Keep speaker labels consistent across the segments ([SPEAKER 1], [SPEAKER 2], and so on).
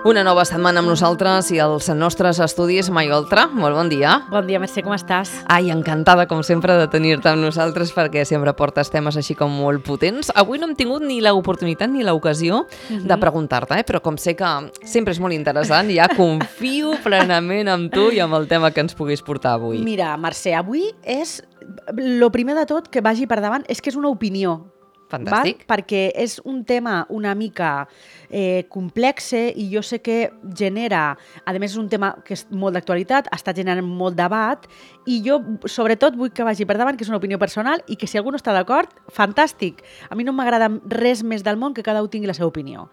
[SPEAKER 1] Una nova setmana amb nosaltres i els nostres estudis. Mai Oltra, molt bon dia.
[SPEAKER 2] Bon dia, Mercè, com estàs?
[SPEAKER 1] Ai, encantada, com sempre, de tenir-te amb nosaltres perquè sempre portes temes així com molt potents. Avui no hem tingut ni l'oportunitat ni l'ocasió de preguntar-te, però com sé que sempre és molt interessant, ja confio plenament en tu i amb el tema que ens puguis portar avui.
[SPEAKER 2] Mira, Mercè, avui és... Lo primer de tot que vagi per davant és que és una opinió.
[SPEAKER 1] Fantàstic.
[SPEAKER 2] Val? Perquè és un tema una mica complexe i jo sé que genera, a més és un tema que és molt d'actualitat, està generant molt debat i jo sobretot vull que vagi per davant que és una opinió personal i que si algú no està d'acord, fantàstic. A mi no m'agrada res més del món que cada un tingui la seva opinió.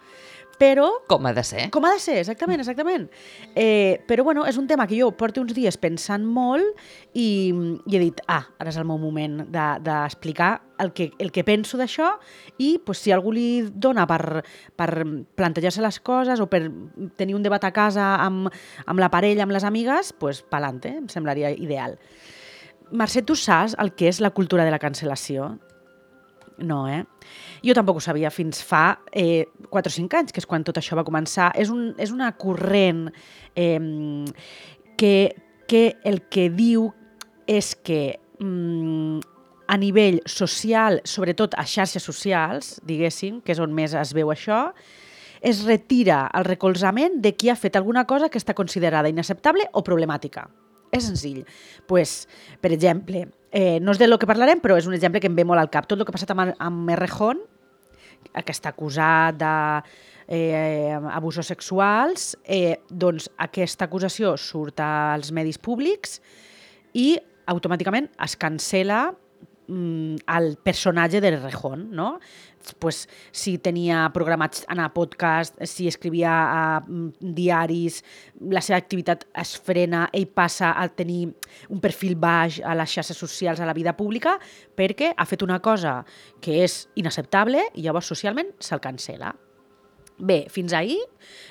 [SPEAKER 2] Però...
[SPEAKER 1] Com ha de ser.
[SPEAKER 2] Com ha de ser, exactament. Però bueno, és un tema que jo porto uns dies pensant molt i he dit, ara és el meu moment d'explicar el que penso d'això i pues, si algú li dona per plantejar-se les coses o per tenir un debat a casa amb la parella, amb les amigues, pues pa'lante, em semblaria ideal. Mercè, tu saps el que és la cultura de la cancel·lació? No, Jo tampoc ho sabia fins fa 4 o 5 anys, que és quan tot això va començar. És una corrent que el que diu és que a nivell social, sobretot a xarxes socials, diguéssim, que és on més es veu això, es retira el recolzament de qui ha fet alguna cosa que està considerada inacceptable o problemàtica. És senzill. Pues, per exemple, no és de lo que parlarem, però és un exemple que em ve molt al cap. Tot el que ha passat amb Errejón, que està acusat d'abusos sexuals, doncs aquesta acusació surt als medis públics i automàticament es cancela el personatge de Errejón, no? Pues, si tenia programats anar a podcast, si escrivia a diaris, la seva activitat es frena, ell passa a tenir un perfil baix a les xarxes socials, a la vida pública, perquè ha fet una cosa que és inacceptable i llavors socialment se'l cancela. Bé, fins ahir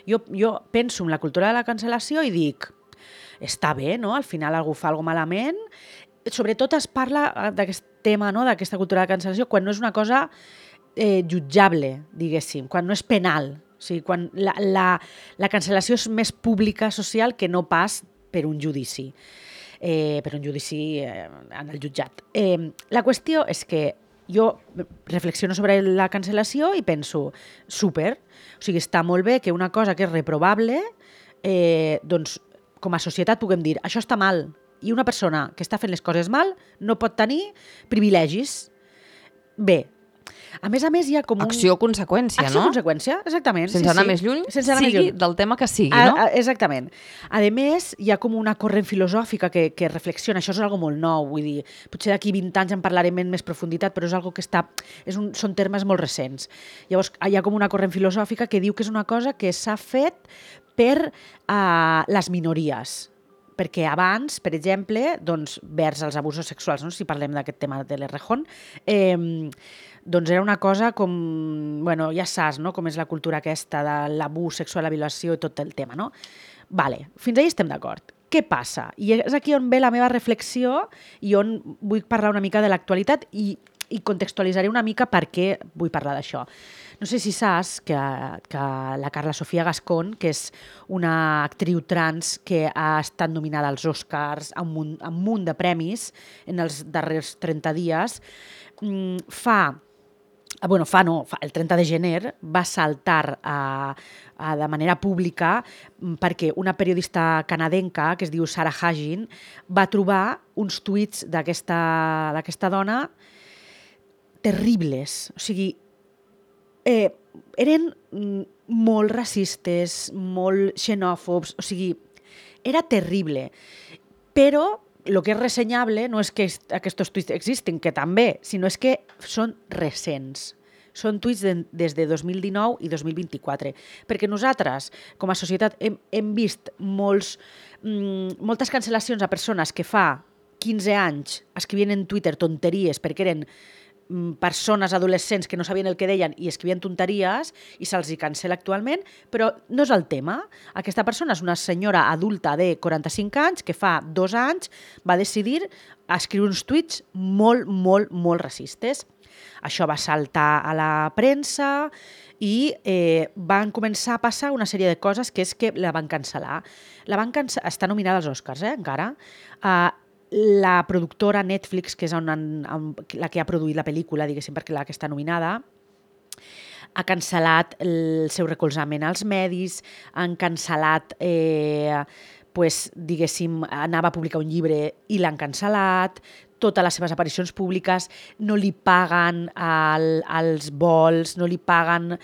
[SPEAKER 2] jo penso en la cultura de la cancel·lació i dic, està bé, no? Al final algú fa alguna cosa malament. Sobretot es parla d'aquest tema, no? D'aquesta cultura de cancel·lació, quan no és una cosa jutjable, diguéssim, quan no és penal. O sigui, quan la cancel·lació és més pública, social, que no pas per un judici. Per un judici en el jutjat. La qüestió és que jo reflexiono sobre la cancel·lació i penso, super, o sigui, està molt bé que una cosa que és reprovable, doncs, com a societat puguem dir, això està mal, i una persona que està fent les coses mal no pot tenir privilegis. Bé, a més hi ha com un...
[SPEAKER 1] Acció-conseqüència, no?
[SPEAKER 2] Acció-conseqüència, exactament.
[SPEAKER 1] Sense anar més lluny, sigui del tema que sigui, no?
[SPEAKER 2] Exactament. A més, hi ha com una corrent filosòfica que reflexiona, això és algo molt nou, vull dir, potser d'aquí 20 anys en parlarem en més profunditat, però és algo que són termes molt recents. Llavors, hi ha com una corrent filosòfica que diu que és una cosa que s'ha fet per les minories, perquè abans, per exemple, doncs, vers els abusos sexuals, no? Si parlem d'aquest tema de l'Errejón, doncs era una cosa com, bueno, ja saps, no? Com és la cultura aquesta de l'abús sexual, la violació i tot el tema, no? Vale, fins ahí estem d'acord. Què passa? I és aquí on ve la meva reflexió i on vull parlar una mica de l'actualitat i contextualitzaré una mica per què vull parlar d'això. No sé si saps que la Carla Sofia Gascón, que és una actriu trans que ha estat nominada als Oscars amb un munt de premis en els darrers 30 dies, el 30 de gener va saltar de manera pública perquè una periodista canadenca que es diu Sarah Hagin va trobar uns tuits d'aquesta dona terribles. O sigui, eren molt racistes, molt xenòfobs, o sigui, era terrible. Però el que és ressenyable no és que aquests tuits existin, que també, sinó és que són recents. Són tuits des de 2019 i 2024. Perquè nosaltres, com a societat, hem vist moltes cancel·lacions a persones que fa 15 anys escrivien en Twitter tonteries perquè eren persones adolescents que no sabien el que deien i escrivien tonteries i se'ls hi cancel·la actualment, però no és el tema. Aquesta persona és una senyora adulta de 45 anys que fa 2 anys va decidir escriure uns tuits molt, molt, molt racistes. Això va saltar a la premsa i van començar a passar una sèrie de coses que és que la van cancel·lar. Està nominada als Oscars, encara. La productora Netflix, que és la que ha produït la pel·lícula, diguéssim, perquè la que està nominada, ha cancel·lat el seu recolzament als medis, han cancel·lat, diguéssim, anava a publicar un llibre i l'han cancel·lat, totes les seves aparicions públiques, no li paguen els vols, no li paguen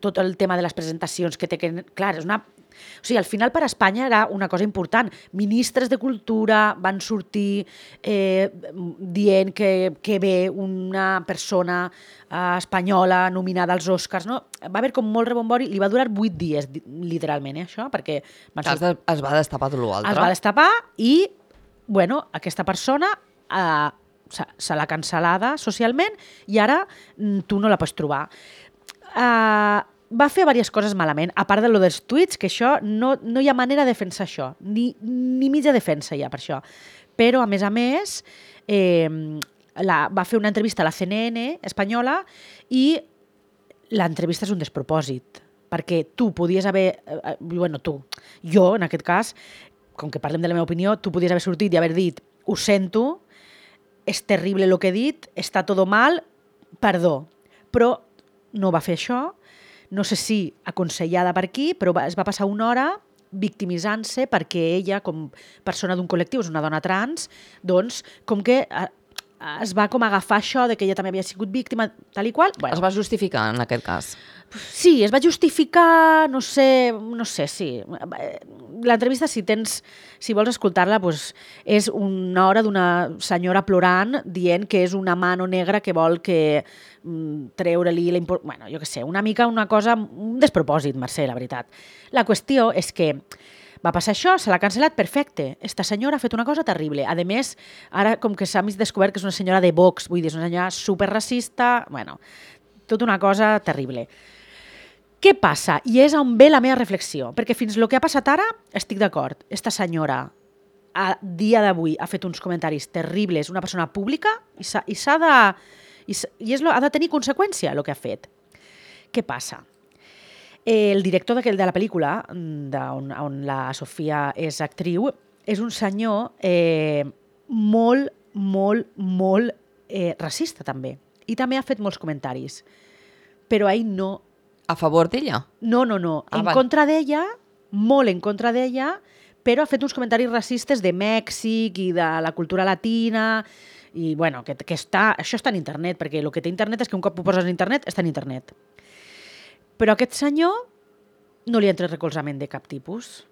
[SPEAKER 2] tot el tema de les presentacions que té que... Clar, és una... O sigui, al final per a Espanya era una cosa important. Ministres de Cultura van sortir dient que ve una persona espanyola nominada als Oscars. No? Va haver com molt rebombori, li va durar 8 dies, literalment, això, perquè...
[SPEAKER 1] Es va destapar tot l'altre.
[SPEAKER 2] Es va destapar i, bueno, aquesta persona se l'ha cancel·lada socialment i ara tu no la pots trobar. Va fer diverses coses malament, a part de lo dels tuits, que això no hi ha manera de defensar això, ni mitja defensa hi ha per això. Però, a més, va fer una entrevista a la CNN espanyola i l'entrevista és un despropòsit, perquè tu podies haver... jo, en aquest cas, com que parlem de la meva opinió, tu podies haver sortit i haver dit ho sento, és terrible el que he dit, està tot mal, perdó. Però no va fer això, no sé si aconsellada per aquí, però es va passar una hora victimitzant-se perquè ella, com persona d'un col·lectiu, és una dona trans, doncs, com que es va com agafar això de que ella també havia sigut víctima, tal i qual.
[SPEAKER 1] Bueno. Es va justificar, en aquest cas.
[SPEAKER 2] Sí, es va justificar, no sé, sí. L'entrevista, si vols escoltar-la, doncs, és una hora d'una senyora plorant dient que és una mano negra que vol que treure-li bueno, jo què sé, una cosa, un despropòsit, Mercè, la veritat. La qüestió és que va passar això, se l'ha cancel·lat, perfecte. Esta senyora ha fet una cosa terrible. A més, ara com que s'ha descobert que és una senyora de Vox, vull dir, és una senyora superracista, bueno, tota una cosa terrible. Què passa? I és on ve la meva reflexió, perquè fins el que ha passat ara estic d'acord. Esta senyora, a dia d'avui, ha fet uns comentaris terribles, una persona pública, i ha de tenir conseqüència el que ha fet. Què passa? El director de la pel·lícula, on la Sofia és actriu, és un senyor molt racista, també. I també ha fet molts comentaris. Però ell no...
[SPEAKER 1] A favor d'ella?
[SPEAKER 2] No. Contra d'ella, molt en contra d'ella, però ha fet uns comentaris racistes de Mèxic i de la cultura latina, i bueno, que això està en internet, perquè el que té internet és que un cop ho poses en internet, està en internet. Però aquest senyor no li ha tret recolzament de cap tipus.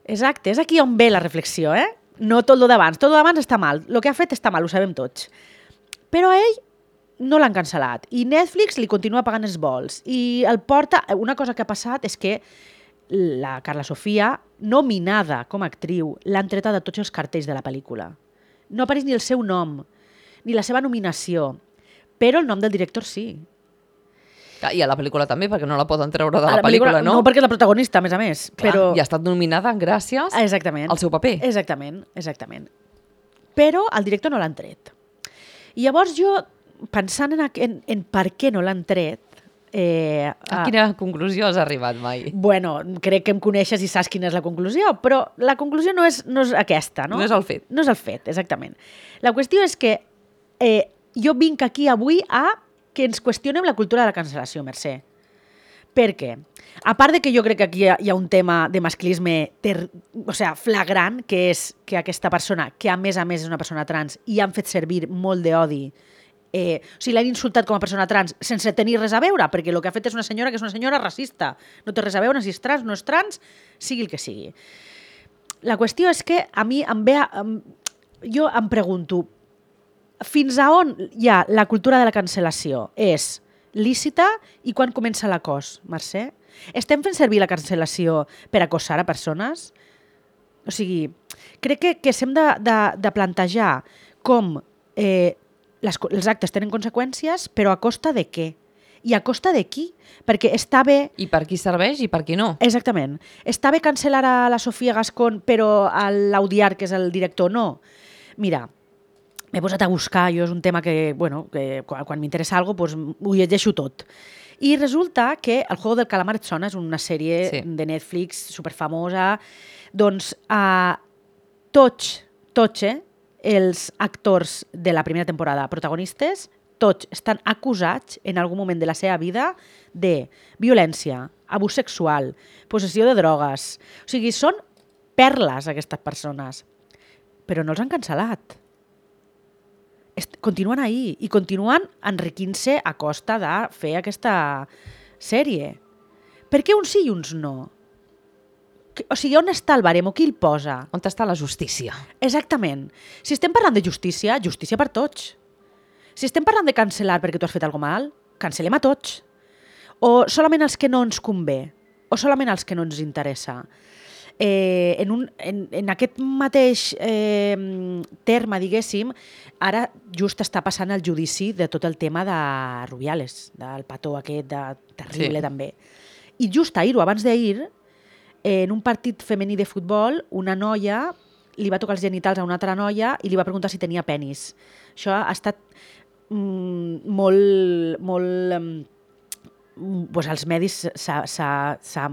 [SPEAKER 2] Exacte, és aquí on ve la reflexió, No tot el d'abans. Tot el d'abans està mal. El que ha fet està mal, ho sabem tots. Però a ell no l'han cancel·lat. I Netflix li continua pagant els vols. I el porta... Una cosa que ha passat és que la Carla Sofia, nominada com a actriu, l'han treta de tots els cartells de la pel·lícula. No apareix ni el seu nom, ni la seva nominació, però el nom del director sí.
[SPEAKER 1] I a la pel·lícula també, perquè no la poden treure de la pel·lícula, no?
[SPEAKER 2] No, perquè és la protagonista, a més.
[SPEAKER 1] Clar, però... I ha estat nominada gràcies al seu paper.
[SPEAKER 2] Exactament. Però el director no l'han tret. I llavors jo, pensant en per què no l'han tret...
[SPEAKER 1] A quina conclusió has arribat mai?
[SPEAKER 2] Bueno, crec que em coneixes i saps quina és la conclusió, però la conclusió no és aquesta, no?
[SPEAKER 1] No és el fet.
[SPEAKER 2] No és el fet, exactament. La qüestió és que jo vinc aquí avui a que ens qüestionem la cultura de la cancel·lació, Mercè. Per què? A part de que jo crec que aquí hi ha un tema de masclisme flagrant, que és que aquesta persona, que a més és una persona trans, i han fet servir molt d'odi, o sigui, l'han insultat com a persona trans sense tenir res a veure, perquè el que ha fet és una senyora que és una senyora racista. No té res a veure si és trans, no és trans, sigui el que sigui. La qüestió és que a mi jo em pregunto, fins a on hi ha la cultura de la cancel·lació? És lícita i quan comença l'acòs, Mercè? Estem fent servir la cancel·lació per acosar a persones? O sigui, crec que s'hem de plantejar com els actes tenen conseqüències, però a costa de què? I a costa de qui? Perquè està bé...
[SPEAKER 1] I per qui serveix i per qui no.
[SPEAKER 2] Exactament. Està bé cancel·lar a la Sofia Gascón, però a l'Audiar, que és el director, no. Mira, m'he posat a buscar, jo és un tema que, bueno, que quan m'interessa alguna cosa, doncs, ho llegeixo tot. I resulta que El juego del calamar et sona, és una sèrie de Netflix superfamosa. Doncs tots, els actors de la primera temporada protagonistes, tots estan acusats en algun moment de la seva vida de violència, abús sexual, possessió de drogues. O sigui, són perles aquestes persones. Però no els han cancel·lat. Continuen ahí i continuen enriquint-se a costa de fer aquesta sèrie. Per què uns sí i uns no? O sigui, on està el baremo? Qui el posa?
[SPEAKER 1] On està la justícia?
[SPEAKER 2] Exactament. Si estem parlant de justícia, justícia per tots. Si estem parlant de cancel·lar perquè tu has fet alguna mal, cancel·lem a tots. O solament els que no ens convé? O solament els que no ens interessa? En aquest mateix terme, diguéssim, ara just està passant el judici de tot el tema de Rubiales, del petó aquest, terrible també. I just ahir o abans d'ahir, en un partit femení de futbol, una noia li va tocar els genitals a una altra noia i li va preguntar si tenia penis. Això ha estat molt... Pues als medis s'ha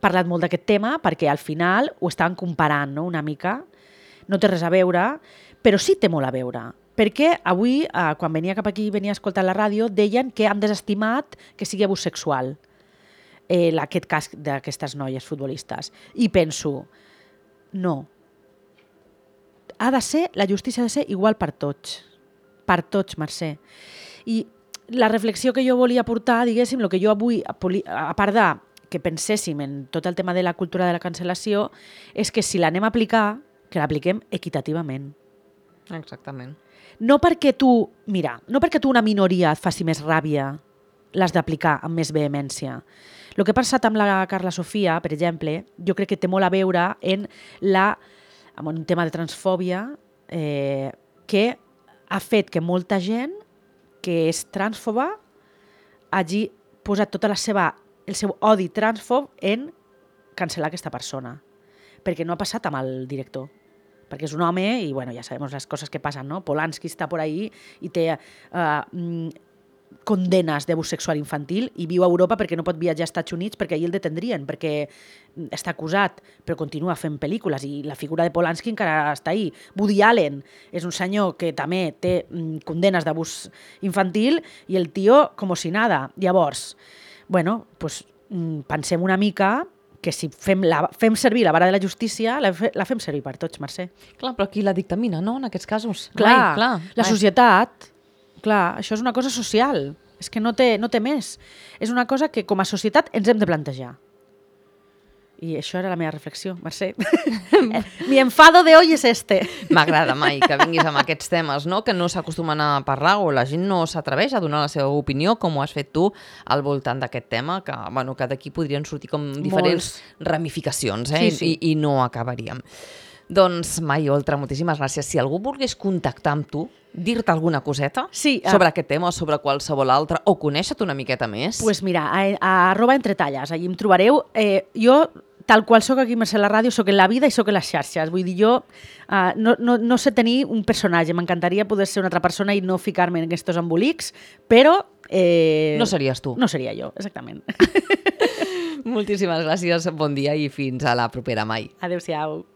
[SPEAKER 2] parlat molt d'aquest tema perquè al final ho estaven comparant, no? Una mica. No té res a veure, però sí té molt a veure. Perquè avui, quan venia cap aquí i venia a escoltar la ràdio, deien que han desestimat que sigui abús sexual aquest cas d'aquestes noies futbolistes. I penso, no. La justícia ha de ser igual per tots. Per tots, Mercè. I la reflexió que jo volia portar, diguéssim, el que jo avui, a part de que penséssim en tot el tema de la cultura de la cancel·lació, és que si l'anem a aplicar, que l'apliquem equitativament.
[SPEAKER 1] Exactament.
[SPEAKER 2] No perquè tu una minoria et faci més ràbia, l'has d'aplicar amb més vehemència. El que ha passat amb la Carla Sofia, per exemple, jo crec que té molt a veure amb un tema de transfòbia que ha fet que molta gent que és transfoba hagi posat tot el seu odi transfob en cancel·lar aquesta persona. Perquè no ha passat amb el director. Perquè és un home i bueno, ja sabem les coses que passen, no? Polanski està por ahí i té condenes d'abús sexual infantil i viu a Europa perquè no pot viatjar als Estats Units perquè allí el detendrien, perquè està acusat, però continua fent pel·lícules i la figura de Polanski encara està ahí. Woody Allen és un senyor que també té condenes d'abús infantil i el tio com si nada. Llavors, bueno, pues, pensem una mica que si fem servir la vara de la justícia, la fem servir per tots, Mercè.
[SPEAKER 1] Clar, però qui la dictamina, no?, en aquests casos.
[SPEAKER 2] Clar. La societat. Clar, això és una cosa social. És que no té més. És una cosa que com a societat ens hem de plantejar. I això era la meva reflexió, Mercè. Mi enfado de hoy es este.
[SPEAKER 1] M'agrada, Mai, que vinguis amb aquests temes, no?, que no s'acostumen a parlar o la gent no s'atreveix a donar la seva opinió, com ho has fet tu, al voltant d'aquest tema, que, bueno, que d'aquí podrien sortir com diferents ramificacions,
[SPEAKER 2] Sí.
[SPEAKER 1] I no acabaríem. Doncs, Mai Oltra, moltíssimes gràcies. Si algú volgués contactar amb tu, dir-te alguna coseta sobre aquest tema o sobre qualsevol altre, o conèixer-te una miqueta més...
[SPEAKER 2] Doncs pues mira, a @entretalles, allí em trobareu. Jo, tal qual soc aquí a la ràdio, soc en la vida i soc en les xarxes. Vull dir, jo no sé tenir un personatge. M'encantaria poder ser una altra persona i no ficar-me en aquests embolics, però...
[SPEAKER 1] no series tu.
[SPEAKER 2] No seria jo, exactament.
[SPEAKER 1] Moltíssimes gràcies, bon dia i fins a la propera, Mai.
[SPEAKER 2] Adéu-siau.